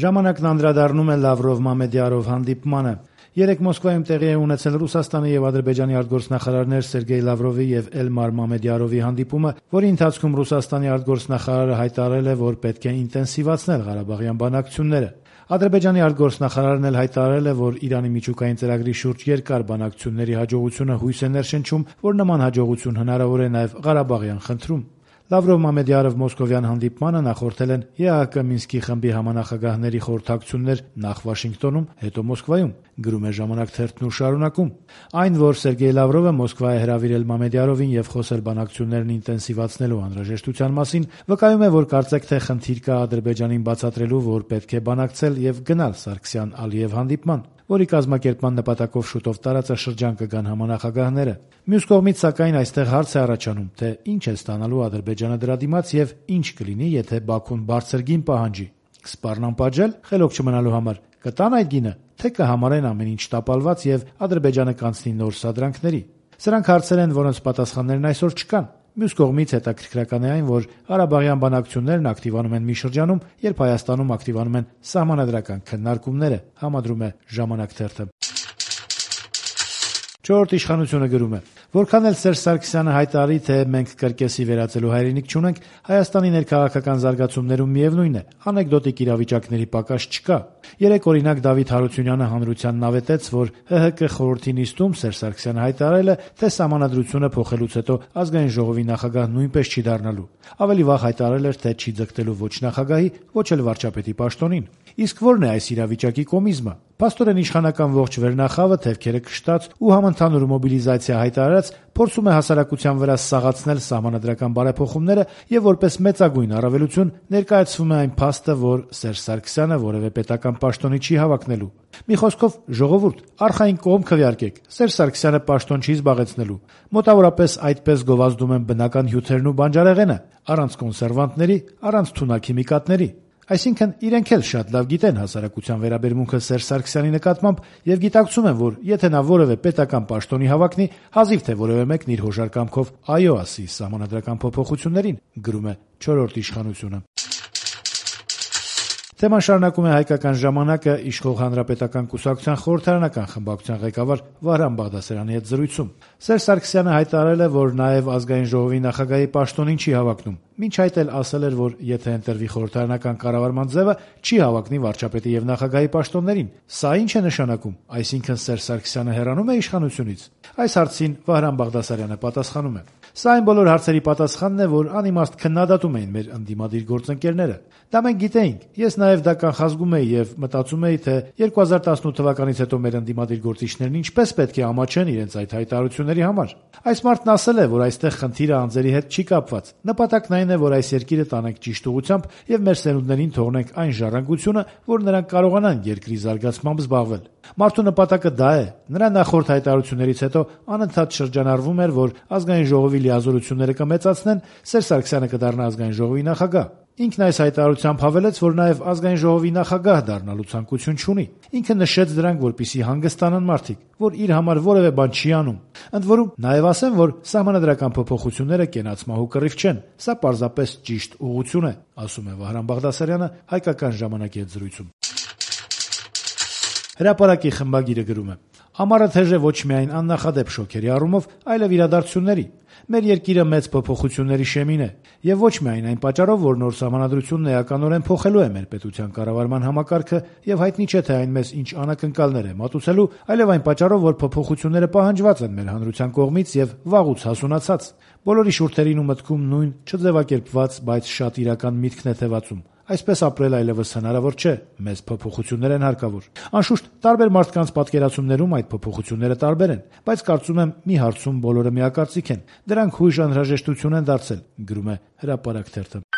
Ժամանակն անդրադառնում է Լավրով-Մամեդյարով հանդիպմանը։ Երեկ Մոսկվայում տեղի է ունեցել Ռուսաստանի եւ Ադրբեջանի արտգործնախարարներ Սերգեյ Լավրովի եւ Էլմար Մամեդյարովի հանդիպումը, որի ընթացքում Ռուսաստանի արտգործնախարարը հայտարարել է, որ պետք է ինտենսիվացնել Ղարաբաղյան բանակցությունները։ Ադրբեջանի արտգործնախարարն էլ հայտարարել է, որ Իրանի միջուկային ծրագրի շուրջ երկար բանակցությունների հաջողությունը հույս է ներշնչում, որ նման հաջողություն հնարավոր է նաեւ Ղարաբաղյան խնդրում։ Լավրով-Մամեդյարով մոսկովյան հանդիպմանը նախորդել են ԵԱՀԿ Մինսկի խմբի համանախագահների խորհրդակցություններ նախ Վաշինգտոնում, հետո Մոսկվայում, գրում է «Ժամանակ» թերթն ու շարունակում. Այն, որ Սերգեյ Լավրովը Մոսկվա է հրավիրել Մամեդյարովին եւ խոսել բանակցություններն ինտենսիվացնելու անհրաժեշտության մասին, վկայում է, որ կարծեք թե խնդիր կա Ադրբեջանին բացատրելու, որ պետք է բանակցել եւ գնալ Սարգսյան-Ալիև հանդիպման, որի կազմակերպման նպատակով շուտով տարածաշրջան կգան համանախագահները։ Մյուս կողմից, սակայն, այստեղ հարց է առաջանում, թե ինչ է ստանալու Ադրբեջանը դրա դիմաց եւ ինչ կլինի, եթե Բաքուն բարձր գին պահանջի։ Կսպառնան պատժել խելոք չմնալու համար, կտան այդ գինը, թե կհամարեն ամեն ինչ տապալված եւ Ադրբեջանը կանցնի նոր սադրանքների։ Սրանք հարցեր են, որոնց պատասխաններն այսօր չկան։ Մյուս կողմից հետաքրքրական է այն, որ Ղարաբաղյան բանակցություններն ակտիվանում են մի շրջանում, երբ Հայաստանում ակտիվանում են սահմանադրական քննարկումները, համադրում է «Ժամանակ» թերթը։ Չորրորդ իշխանությունը գրում է. որքան էլ Սերժ Սարգսյանը հայտարարի, թե մենք կրկեսի վերածելու հայրենիք չունենք, Հայաստանի ներքաղաքական զարգացումներում միևնույն է, անեկդոտիկ իրավիճակների պակաս չկա։ Երեկ օրինակ Դավիթ Հարությունյանը հանրությանն ավետեց, որ ՀՀԿ խորհրդի նիստում Սերժ Սարգսյանը հայտարարել է, թե սահմանադրությունը փոխելուց հետո ազգային ժողովի նախագահ նույնպես չի դառնալու։ Ավելի վաղ հայտարարել էր, թե չի ձգտելու ոչ նախագահի, ոչ էլ վարչապետի պաշտոնին։ Իսկ ո՞րն է այս իրավիճակի կոմիզմը։ Փաստորեն իշխանական ողջ վերնախավը թևքերը քշտած ու համընդհանուր մոբիլիզացիա հայտարարած փորձում է հասարակության վրա սաղացնել սահմանադրական բարեփոխումները եւ որպես մեծագույն առավելություն ներկայացվում է այն փաստը, որ Սերժ Սարգսյանը որևէ պետական պաշտոնի չի հավակնելու։ Մի խոսքով, ժողովուրդ, արխային կողմ քվեարկեք, Սերժ Սարգսյանը պաշտոն չի զբաղեցնելու։ Մոտավորապես այդպես գովազդում են բնական հյութերն ու բանջարեղենը, առանց կոնսերվանտների, առանց թունաքիմիկատների։ Այսինքն իրենք էլ շատ լավ գիտեն հասարակության վերաբերմունքը Սերժ Սարգսյանի նկատմամբ եւ գիտակցում են, որ եթե նա որևէ պետական պաշտոնի հավակնի, հազիվ թե որևէ մեկն իր հոժար կամքով այո ասի սահմանադրական փոփոխություններին, գրում է չորրորդ իշխանությունը։ Թեման շարունակում է «Հայկական ժամանակը» իշխող Հանրապետական կուսակցության խորհրդարանական խմբակցության ղեկավար Վահրամ Բաղդասարյանի հետ զրույցում։ Սերժ Սարգսյանը հայտարարել է, որ նաև ազգային ժողովի նախագահի պաշտոնին չի հավակնում։ Մինչ այդ էլ ասել էր, որ եթե ընտրվի խորհրդարանական կառավարման ձևը, չի հավակնի վարչապետի եւ նախագահի պաշտոններին։ Սա ինչ է նշանակում, այսինքն Սերժ Սարգսյանը հեռանում է իշխանությունից։ Այս հարցին Վահրամ Բաղդասարյանը պատասխանում է. Սա այն բոլոր հարցերի պատասխանն է, որ անիմաստ քննադատում էին մեր ընդդիմադիր գործընկերները։ Դա մենք գիտեինք։ Ես նաև դա կանխազգում էի եւ մտածում էի, թե 2018 թվականից հետո մեր ընդդիմադիր գործիչներն ինչպես պետք է ամաչեն իրենց այդ հայտարարությունների համար։ Այս մարդն ասել է, որ այստեղ խնդիրը անձերի հետ չի կապված։ Նպատակն այն է, որ այս երկիրը տանենք ճիշտ ուղղությամբ եւ մեր սերունդներին թողնենք այն ժառանգությունը, որ նրանք կարողանան երկրի զարգացմամբ զբաղվել։ Մարդու նպատակը դա է։ Նրա նախորդ հայտարարություններից հետո անընդհատ շրջանառվում էր, որ ազգային ժողովի լիազորությունները կմեծացնեն, Սերժ Սարգսյանը կդառնա ազգային ժողովի նախագահ։ Ինքն այս հայտարարությամբ հավելեց, որ նաև ազգային ժողովի նախագահ դառնալու ցանկություն չունի։ Ինքը նշեց դրանք, որպեսզի հանգստանան մարդիկ, որ իր համար որևէ բան չի անում։ Ընդ որում, նաև ասեմ, որ սահմանադրական փոփոխությունները կենացմահու կռիվ չեն։ Սա պարզապես ճիշտ ուղղություն է, ասում է Վահրամ Բաղդասարյանը «Հայկական ժամանակի» հետ զրույցում։ Հրապարակի խմբագիրը գրում է. Ամառը թեժ է ոչ միայն աննախադեպ շոքերի առումով, այլև իրադարձությունների։ Մեր երկիրը մեծ փոփոխությունների շեմին է, եւ ոչ միայն այն պատճառով, որ նոր սահմանադրությունն էականորեն փոխելու է մեր պետության կառավարման համակարգը եւ հայտնի չէ թե այն մեզ ինչ անակնկալներ է մատուցելու, այլև այն պատճառով, որ փոփոխությունները պահանջված են մեր հանրության կողմից եւ վաղուց հասունացած։ Բոլորի շուրթերին ու մտքում նույն չձևակերպված, բայց շատ իրական միտքն է թևածում։ Այսպես ապրել այլևս հնարավոր չէ, մեծ փոփոխություններ են հարկավոր։ Անշուշտ, տարբեր մարդկանց պատկերացումներում այդ փոփոխությունները տարբեր են, բայց կարծում եմ մի հարցում բոլորը միակարծիք են։ Դրանք հույժ անհրաժեշտություն են դարձել, գրում է Հրապարակ թերթը։